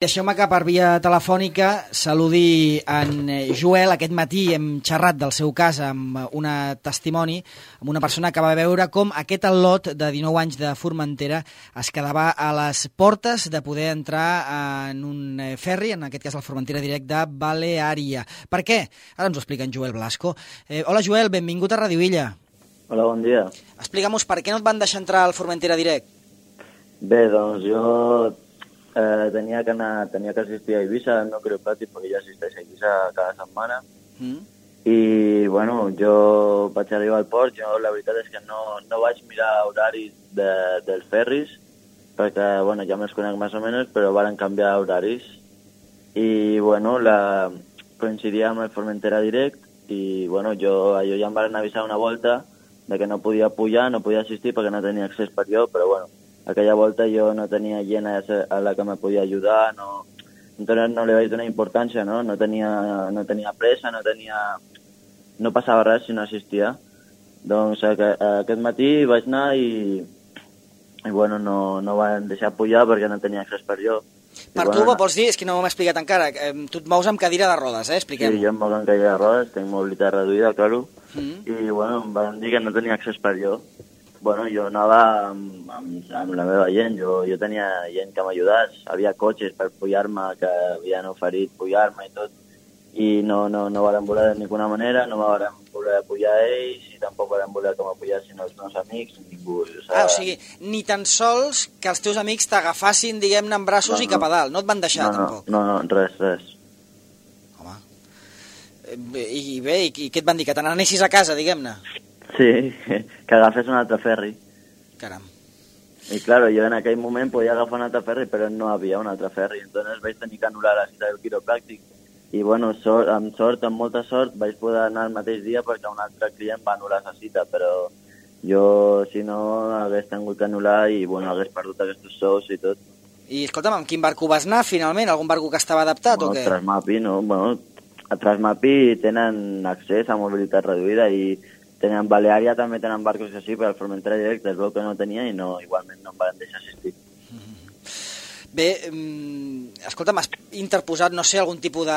Deixeu-me que per via telefònica saludi en Joel. Aquest matí hem xerrat del seu cas amb una testimoni, amb una persona que va veure com aquest al·lot de 19 anys de Formentera es quedava a les portes de poder entrar en un ferri, en aquest cas el Formentera Direct de Baleària. Per què? Ara ens ho explica en Joel Blasco. Hola Joel, benvingut a Radio Illa. Hola, bon dia. Explica'm-nos per què no et van deixar entrar al Formentera Direct. Bé, doncs jo tenia que assistir a Eivissa, no creu pràctic, perquè ja assisteix a Eivissa cada setmana. I, bueno, jo vaig arribar al port, jo la veritat és que no vaig mirar horaris dels ferris, perquè, bueno, ja me'ls conec més o menys, però varen canviar horaris. I, bueno, coincidia amb el Formentera Direct, i, bueno, allò ja em van avisar una volta de que no podia pujar, no podia assistir perquè no tenia accés per jo, però, bueno, aquella volta jo no tenia gent a la que me podia ajudar, no li vaig donar importància, no? No tenia pressa, no passava res si no assistia. Doncs aquest matí vaig anar i bueno, no van deixar pujar perquè no tenia accés per jo. Per tu, vols dir, és que no m'ho explicat encara, tu et mous amb cadira de rodes, expliquem. Sí, jo em moc amb cadira de rodes, tinc mobilitat reduïda, claro, i bueno, em van dir que no tenia accés per jo. Bueno, jo anava amb la meva gent, jo tenia gent que m'ajudés, havia cotxes per pujar-me, que havien oferit pujar-me i tot, i no varen voler de ninguna manera, no me varen voler pujar ells, i tampoc varen voler que m'apujassin els meus amics, ningú. O sigui, ni tan sols que els teus amics t'agafassin, diguem-ne, en braços i cap a dalt, no et van deixar, tampoc? No, res. Home, i bé, i què et van dir, que te n'anessis a casa, diguem-ne? Sí, que agafés un altre ferri. Caram. I claro, jo en aquell moment podia agafar un altre ferri, però no havia un altre ferri. Entonces vaig tenir que anul·lar la cita del quiropràctic. I bueno, amb molta sort, vaig poder anar el mateix dia perquè un altre client va anul·lar la cita, però jo, si no, hagués tingut que anul·lar i bueno, hagués perdut aquests sous i tot. I escolta'm, amb quin barco vas anar finalment? Algun barco que estava adaptat o què? Transmapi, no? Bueno, a Transmapi tenen accés a mobilitat reduïda i tenen Baleària, també tenen barcos així, però el Formentera Direct es veu que no tenia i igualment no em van deixar assistir. Bé, escolta'm, has interposat, no sé, algun tipus de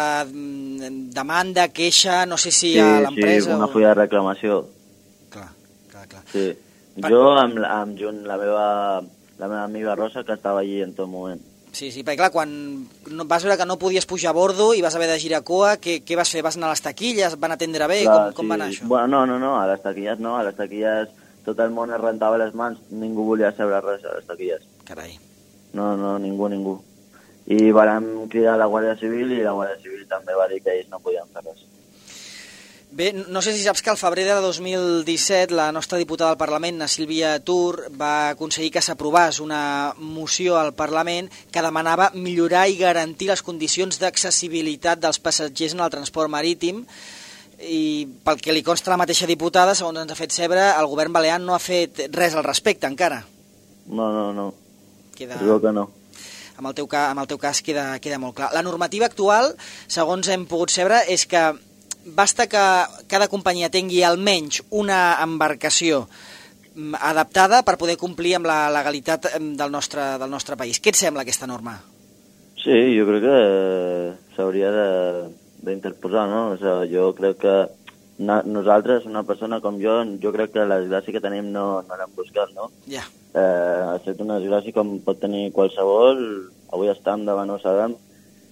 demanda, queixa, no sé si a l'empresa... Sí, una fulla de reclamació. Clar. Sí, jo amb la meva amiga Rosa, que estava allí en tot moment. Sí, perquè clar, quan vas veure que no podies pujar a bordo i vas haver de girar cua, què vas fer? Vas anar a les taquilles? Van atendre bé? Clar, com va anar això? Bueno, no, a les taquilles no, a les taquilles tot el món es rentava les mans, ningú volia saber res a les taquilles. Carai. No, ningú. I vam cridar a la Guàrdia Civil i la Guàrdia Civil també va dir que ells no podien fer res. Bé, no sé si saps que al febrer de 2017 la nostra diputada al Parlament, na Sílvia Tur, va aconseguir que s'aprovés una moció al Parlament que demanava millorar i garantir les condicions d'accessibilitat dels passatgers en el transport marítim, i pel que li consta la mateixa diputada, segons ens ha fet saber, el govern balear no ha fet res al respecte encara. No. Digo que no. Amb el teu cas queda molt clar. La normativa actual, segons hem pogut saber, és que basta que cada companyia tingui almenys una embarcació adaptada per poder complir amb la legalitat del nostre país. Què et sembla aquesta norma? Sí, jo crec que s'hauria d'interposar, no? O sigui, jo crec que nosaltres, una persona com jo crec que la desgràcia que tenim no l'hem buscat, no? Ja. Ha estat una desgràcia com pot tenir qualsevol, avui estem davant ho sabem,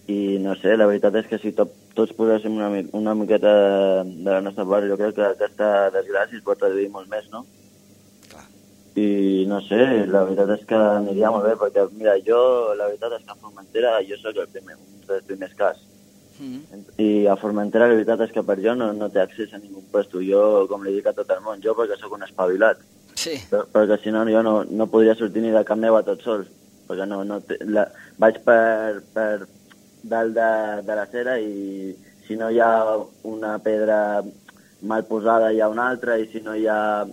i no sé, la veritat és que si tots poséssim una miqueta de la nostra part, jo crec que aquesta desgràcia es pot reduir molt més, no? Clar. I no sé, la veritat és que aniria molt bé, perquè mira, la veritat és que a Formentera jo soc un dels primers cas. I a Formentera la veritat és que per jo no té accés a ningú puesto. Jo, com li dic a tot el món, jo perquè sóc un espavilat. Sí. Perquè si no, jo no podria sortir ni de cap meva tot sol, perquè vaig per dalt de la cera i si no hi ha una pedra mal posada hi ha una altra, i si no hi ha,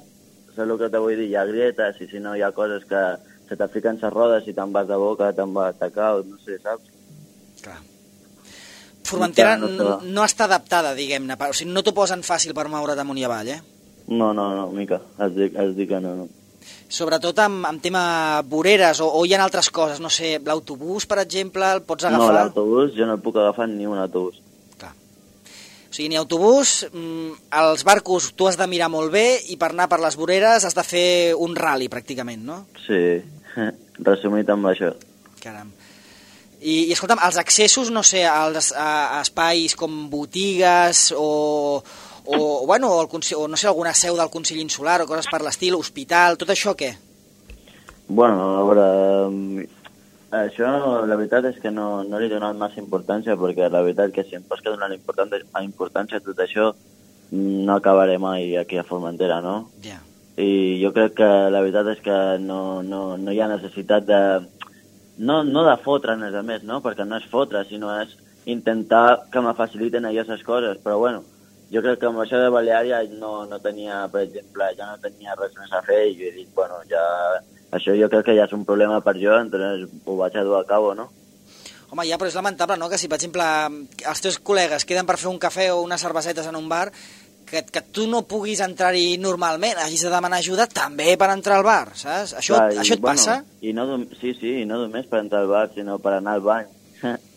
saps el que te vull dir, hi ha grietes, i si no hi ha coses que se t'afiquen les rodes i te'n vas de boca, te'n vas a tacar, no sé, saps? Clar. Formentera no està adaptada, diguem-ne, o sigui, no t'ho posen fàcil per moure't amunt i avall, eh? No, mica, has dit que no. Sobretot amb tema voreres, o hi ha altres coses, no sé, l'autobús, per exemple, el pots agafar? No, l'autobús, jo no puc agafar ni un autobús. Clar. O sigui, ni autobús, els barcos tu has de mirar molt bé i per anar per les voreres has de fer un rally, pràcticament, no? Sí, resumit amb això. Caram. I escolta'm, els accessos, no sé, a espais com botigues o no sé, alguna seu del Consell Insular o coses per l'estil, hospital, tot això què? Bueno, a veure, això la veritat és que no li he donat massa importància, perquè la veritat que si em pots donar importància a tot això no acabaré mai aquí a Formentera, no? Ja. Yeah. I jo crec que la veritat és que no hi ha necessitat de... No de fotre'ns, a més, no? Perquè no és fotre, sinó és intentar que me faciliten aquestes coses, però bueno, jo crec que amb això de Baleària no tenia, per exemple, ja no tenia res més a fer i jo he dit, bueno, ja... Això jo crec que ja és un problema per jo, entonces ho vaig a dur a cabo, no? Home, ja, però és lamentable, no?, que si, per exemple, els teus col·legues queden per fer un cafè o unes cervesetes en un bar, que tu no puguis entrar-hi normalment, hagis de demanar ajuda també per entrar al bar, saps? Això et passa? Sí, i no només per entrar al bar, sinó per anar al bany.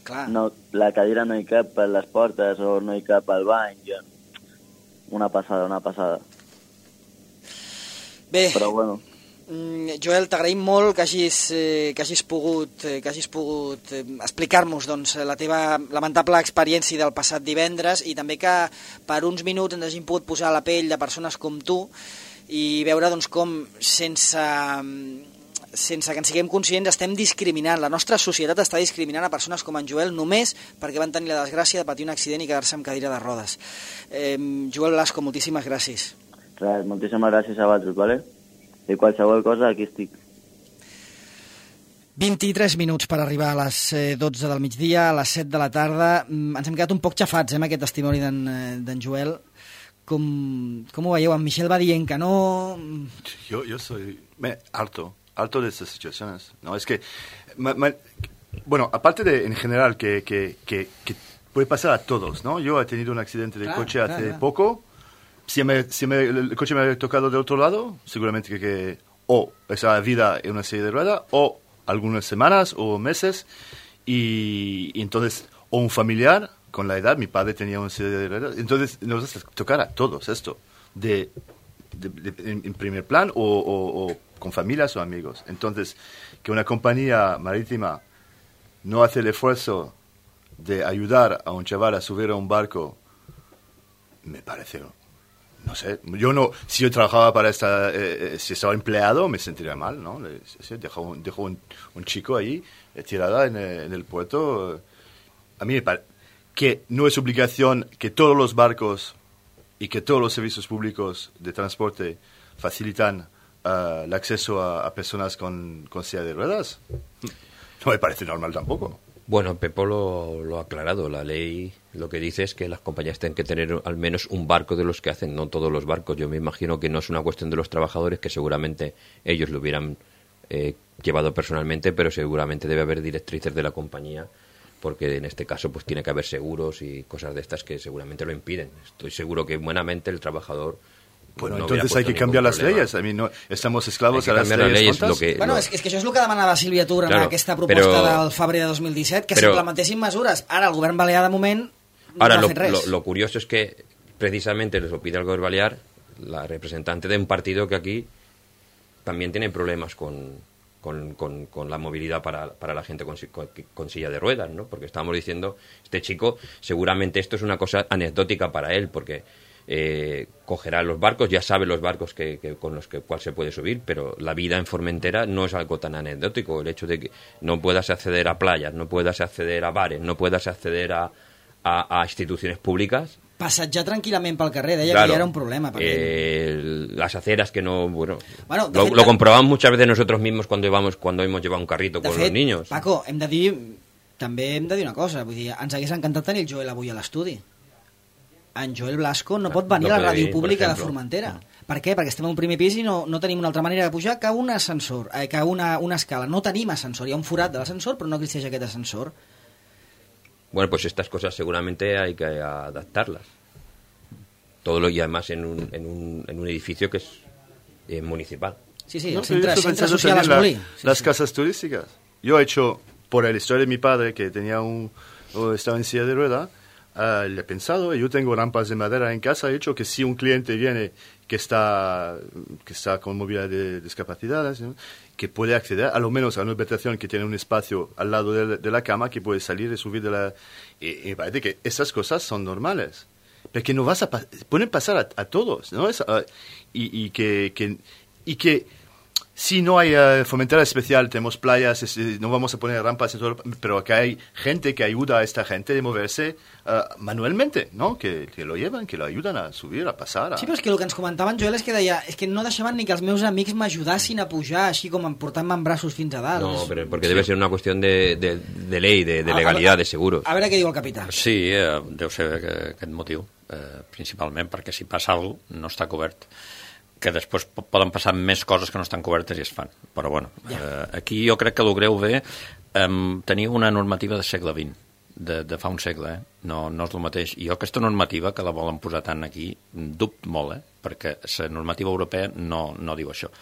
Clar. No, la cadira no hi cap per les portes o no hi cap al bany. Una passada. Bé. Però bueno... Joel, t'agraïm molt que hagis pogut explicar-nos doncs, la teva lamentable experiència del passat divendres i també que per uns minuts ens hagin pogut posar a la pell de persones com tu i veure doncs, com sense que en siguem conscients estem discriminant, la nostra societat està discriminant a persones com en Joel només perquè van tenir la desgràcia de patir un accident i quedar-se amb cadira de rodes. Joel Blasco, moltíssimes gràcies. Res, moltíssimes gràcies a vosaltres, ¿vale? I qualsevol cosa, aquí estic. 23 minuts per arribar a les 12 del migdia, a les 7 de la tarda. Ens hem quedat un poc xafats amb aquest testimoni d'en Joel. Com ho veieu? En Michel va dient que no... Yo soy harto de estas situaciones, ¿no? Es que, bueno, aparte de en general que puede pasar a todos, ¿no? Yo he tenido un accidente de coche hace poco. Si el coche me ha tocado del otro lado, seguramente que o esa vida en una silla de ruedas, o algunas semanas o meses, y entonces, o un familiar con la edad, mi padre tenía una silla de ruedas, entonces nos va a tocar a todos esto, en primer plan o con familias o amigos. Entonces, que una compañía marítima no hace el esfuerzo de ayudar a un chaval a subir a un barco, me parece... No sé, si yo trabajaba para si estaba empleado me sentiría mal, ¿no? Dejo un chico ahí tirada en el puerto. A mí me parece que no es obligación que todos los barcos y que todos los servicios públicos de transporte facilitan el acceso a personas con silla de ruedas. No me parece normal tampoco. Bueno, Pepo lo ha aclarado. La ley lo que dice es que las compañías tienen que tener al menos un barco de los que hacen, no todos los barcos. Yo me imagino que no es una cuestión de los trabajadores, que seguramente ellos lo hubieran llevado personalmente, pero seguramente debe haber directrices de la compañía, porque en este caso pues tiene que haber seguros y cosas de estas que seguramente lo impiden. Estoy seguro que buenamente el trabajador... Bueno, no entonces hay que cambiar las leyes. A mí no estamos esclavos a las leyes. Bueno, és que això és el que demanava Sílvia Tur en aquesta proposta del febrer de 2017, que s'implementessin mesures. Ara el govern balear de moment no ha fet res. Lo curioso es que precisamente les lo pide el gobierno balear la representante de un partido que aquí también tiene problemas con la movilidad para la gente con silla de ruedas, ¿no? Porque estábamos diciendo, este chico, seguramente esto es una cosa anecdótica para él, porque cogerá los barcos, ya sabe los barcos con los cual se puede subir, pero la vida en Formentera no es algo tan anecdótico. El hecho de que no puedas acceder a playas, no puedas acceder a bares, no puedas acceder a instituciones públicas. Passejar tranquil·lament pel carrer, deia que ja era un problema. Las aceras que no... Bueno, lo comprobamos muchas veces nosotros mismos cuando hemos llevado un carrito con los niños. Paco, també hem de dir una cosa, vull dir, ens hagués encantat tenir el Joel avui a l'estudi. En Joel Blasco no pot venir a la ràdio pública de Formentera. Per què? Perquè estem a un primer pis i no tenim una altra manera de pujar que un ascensor, que una escala. No tenim ascensor, hi ha un forat de l'ascensor, però no existeix aquest ascensor. Bueno, pues estas cosas seguramente hay que adaptarlas. Y además en un edificio que es municipal. Sí, sí, ¿no? el centre social también Asbolí. Las casas turísticas. Yo he hecho, por la historia de mi padre, que estaba en silla de rueda, le he pensado, yo tengo rampas de madera en casa, he hecho que si un cliente viene que está con movilidad de discapacidades, ¿no? Que puede acceder a lo menos a una habitación que tiene un espacio al lado de la cama, que puede salir y subir de la... Y me parece que esas cosas son normales. Pero que no pueden pasar a todos, ¿no? Y que si no hay fomentada especial, tenemos playas, no vamos a poner rampas, pero que hay gente que ayuda a esta gente de moverse manualmente, ¿no? Que lo llevan, que lo ayudan a subir, a pasar. Sí, però és que el que ens comentaven, Joel, és que deia és que no deixaven ni que els meus amics m'ajudassin a pujar, així com portant-me en braços fins a dalt. No, pero porque debe ser una cuestión de ley, de legalidad, de seguros. A veure què diu el capità. Sí, deu ser aquest motiu, principalment perquè si passa alguna cosa no està cobert, que després poden passar més coses que no estan cobertes i es fan. Però bueno, aquí jo crec que el greu ve tenir una normativa del segle XX, de fa un segle, no és el mateix. I jo aquesta normativa, que la volen posar tant aquí, dubto molt, perquè la normativa europea no diu això.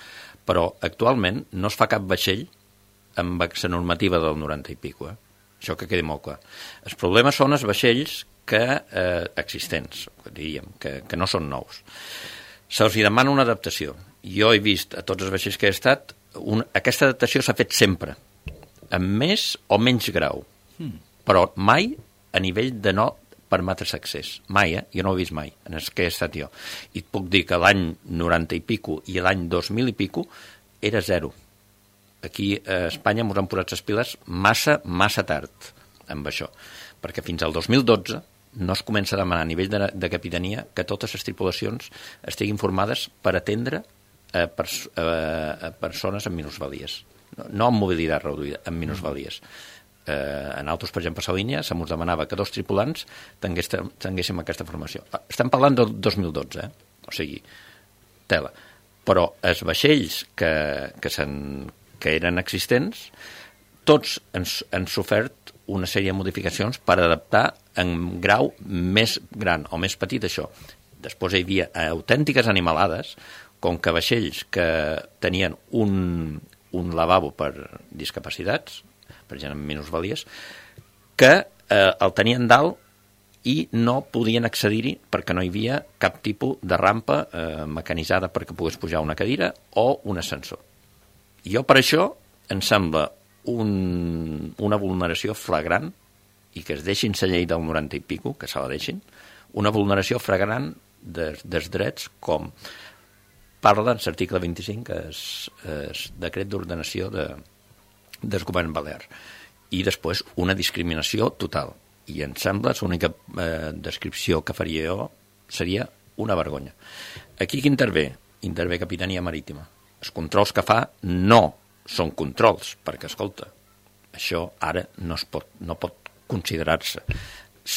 Però actualment no es fa cap vaixell amb la normativa del 90 i pico, això que quedi molt clar. Els problemes són els vaixells existents, diríem, que no són nous. Se'ls demana una adaptació. Jo he vist a tots els vaixells que he estat, aquesta adaptació s'ha fet sempre, amb més o menys grau, però mai a nivell de no permetre's accés. Mai, jo no ho he vist mai, en els que he estat jo. I et puc dir que l'any 90 i pico i l'any 2000 i pico era zero. Aquí a Espanya ens han posat les piles massa tard amb això, perquè fins al 2012 no es comença a demanar a nivell de capitania que totes les tripulacions estiguin formades per atendre persones amb minusvalies. No amb mobilitat reduïda, amb minusvalies. En altres, per exemple, a la línia, se mos demanava que 2 tripulants tinguéssim aquesta formació. Estem parlant del 2012, o sigui, tela. Però els vaixells que eren existents, tots han sofert una sèrie de modificacions per adaptar en grau més gran o més petit això. Després hi havia autèntiques animalades, com que vaixells que tenien un lavabo per discapacitats, per gent amb minusvalies, que el tenien dalt i no podien accedir-hi perquè no hi havia cap tipus de rampa mecanitzada perquè pogués pujar una cadira o un ascensor. Jo per això em sembla una vulneració flagrant, i que es deixin la llei del 90 i pico, que se la deixin, una vulneració flagrant dels drets, com parla en l'article 25, que és el decret d'ordenació del govern balear. I després una discriminació total. I em sembla, l'única descripció que faria jo seria una vergonya. Aquí qui intervé? Intervé Capitania Marítima. Els controls que fa no són controls, perquè, escolta, això ara no pot considerar-se.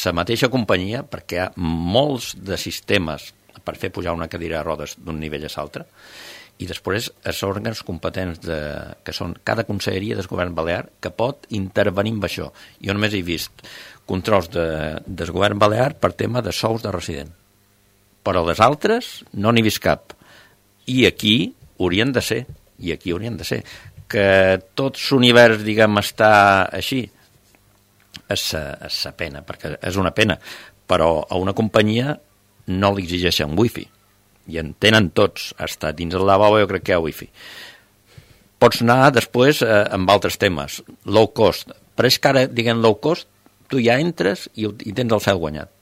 La mateixa companyia, perquè hi ha molts de sistemes per fer pujar una cadira de rodes d'un nivell a l'altre, i després els òrgans competents que són cada conselleria del govern balear que pot intervenir amb això. Jo només he vist controls del govern balear per tema de sous de resident, però les altres no n'he vist cap. I aquí haurien de ser, que tot l'univers, diguem, està així, és la pena, perquè és una pena, però a una companyia no li exigeixen wifi, i en tenen tots, hasta dins el lavabo jo crec que hi ha wifi. Pots anar després amb altres temes, low cost, però és que ara, diguem, low cost, tu ja entres i tens el cel guanyat,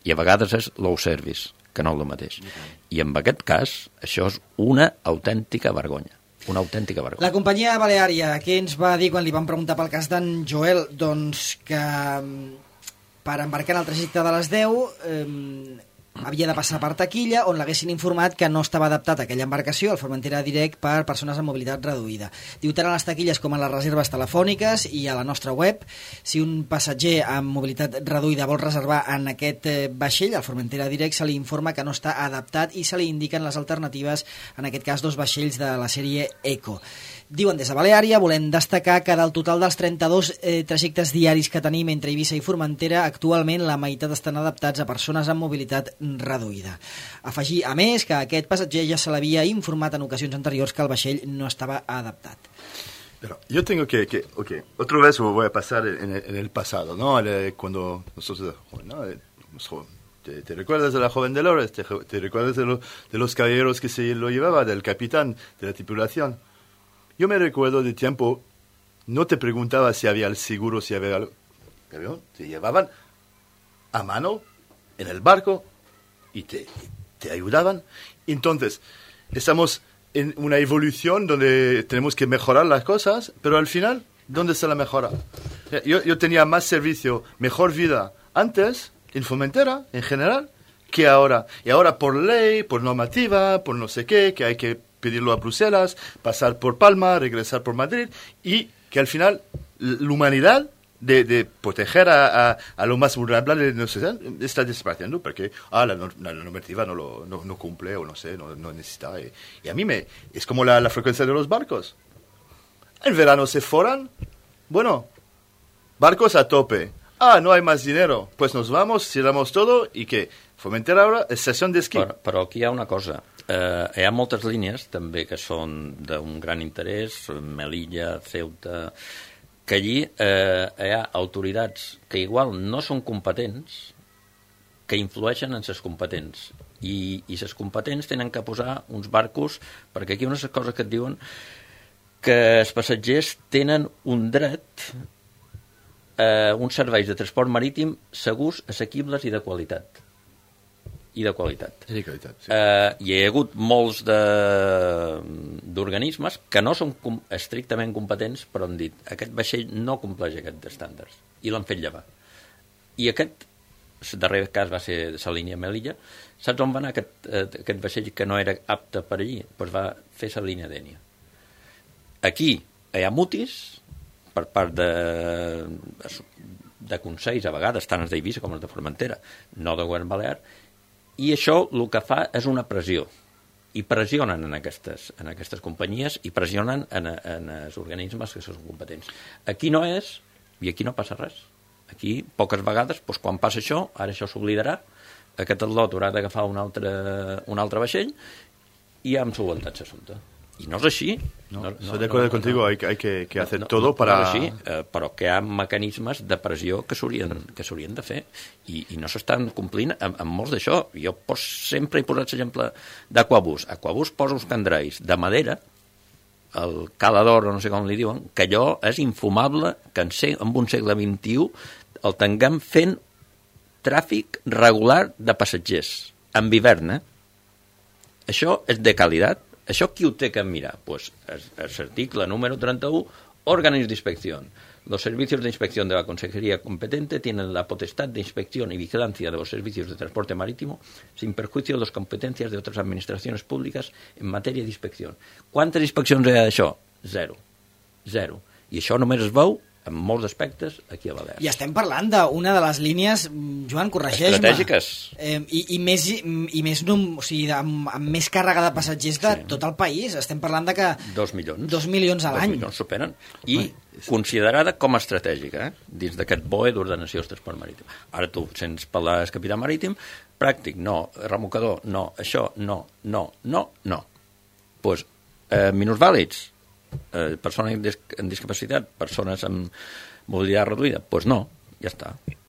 i a vegades és low service, que no és el mateix. I en aquest cas, això és una autèntica vergonya. Una autèntica vergonya. La companyia baleària, què ens va dir quan li vam preguntar pel cas d'en Joel? Doncs que per embarcar en el trajecte de les 10 havia de passar per taquilla, on l'haguessin informat que no estava adaptat a aquella embarcació, el Formentera Direct, per persones amb mobilitat reduïda. Diu tant a les taquilles com a les reserves telefòniques i a la nostra web. Si un passatger amb mobilitat reduïda vol reservar en aquest vaixell, el Formentera Direct, se li informa que no està adaptat i se li indiquen les alternatives, en aquest cas 2 vaixells de la sèrie Eco. Diuen des de Baleària, volem destacar que del total dels 32 trajectes diaris que tenim entre Eivissa i Formentera, actualment la meitat estan adaptats a persones amb mobilitat reduïda. Afegir, a més, que aquest passatger ja se l'havia informat en ocasions anteriors que el vaixell no estava adaptat. Pero yo tengo que otra vez voy a pasar en el pasado, ¿no? Cuando nosotros, ¿no? ¿Te recuerdas de la joven Dolores? ¿Te recuerdas de los caballeros que se lo llevaba, del capitán, de la tripulación? Yo me recuerdo de tiempo, no te preguntaba si había el seguro, si había algo. Te llevaban a mano en el barco y te ayudaban. Entonces, estamos en una evolución donde tenemos que mejorar las cosas, pero al final, ¿dónde está la mejora? Yo tenía más servicio, mejor vida antes, en Formentera, en general, que ahora. Y ahora por ley, por normativa, por no sé qué, que hay que pedirlo a Bruselas, pasar por Palma, regresar por Madrid, y que al final la humanidad de proteger a lo más vulnerable de nuestra sociedad está desapareciendo porque la normativa no cumple o no sé, no necesita. Y a mí es como la frecuencia de los barcos. En verano se foran, bueno, barcos a tope. No hay más dinero, pues nos vamos, cerramos todo y que Formentera ahora és estació d'esquí. Però aquí hi ha una cosa. Hi ha moltes línies també que són d'un gran interès, Melilla, Ceuta, que allí hi ha autoritats que igual no són competents, que influeixen en les competents. I les competents tenen que posar uns barcos, perquè aquí unes coses que et diuen que els passatgers tenen un dret uns serveis de transport marítim segurs, assequibles i de qualitat. I de qualitat. I de qualitat, sí. Hi ha hagut molts d'organismes que no són estrictament competents, però han dit aquest vaixell no compleix aquests estàndards i l'han fet llevar. I aquest, el darrer cas va ser la línia Melilla. Saps on va anar aquest vaixell que no era apte per allí? Doncs va fer la línia Dénia. Aquí hi ha mutis per part de consells, a vegades, tant els d'Eivissa com els de Formentera, no de govern balear, i això el que fa és una pressió. I pressionen en aquestes companyies i pressionen en els organismes que són competents. Aquí no és, i aquí no passa res. Aquí, poques vegades, doncs, quan passa això, ara això s'oblidarà, aquest atlot haurà d'agafar un altre vaixell i ja hem solventat l'assumpte. I no és així. Estoy de acuerdo contigo, hay que hacer todo para... No és així, però que hi ha mecanismes de pressió que s'haurien de fer i no s'estan complint amb molts d'això. Jo sempre he posat l'exemple d'Aquabús. Aquabús posa uns candreis de madera, el calador, no sé com li diuen, que allò és infumable que en un segle XXI el tinguem fent tràfic regular de passatgers, en hivern, Això és de qualitat. ¿Això qui ho té que mirar? Pues el artículo número 31, órganos de inspección. Los servicios de inspección de la Consejería competente tienen la potestad de inspección y vigilancia de los servicios de transporte marítimo sin perjuicio de las competencias de otras administraciones públicas en matèria d'inspecció. Quantes inspeccions hi ha d'això? Zero. I això només es veu en molts aspectes aquí a Balears. I estem parlant d'una de les línies, Joan, corregeix-me, estratègiques. I més o sigui, amb més càrrega de passatgers de tot el país. Estem parlant de que 2 milions. 2 milions a l'any. 2 milions superen. I considerada com a estratègica, dins d'aquest BOE d'ordenació del transport marítim. Ara tu sents parlar del capità marítim, pràctic, no, remolcador, no, això, no. Doncs, minusvàlids, persones amb discapacitat, persones amb mobilitat reduïda, doncs no, ja està.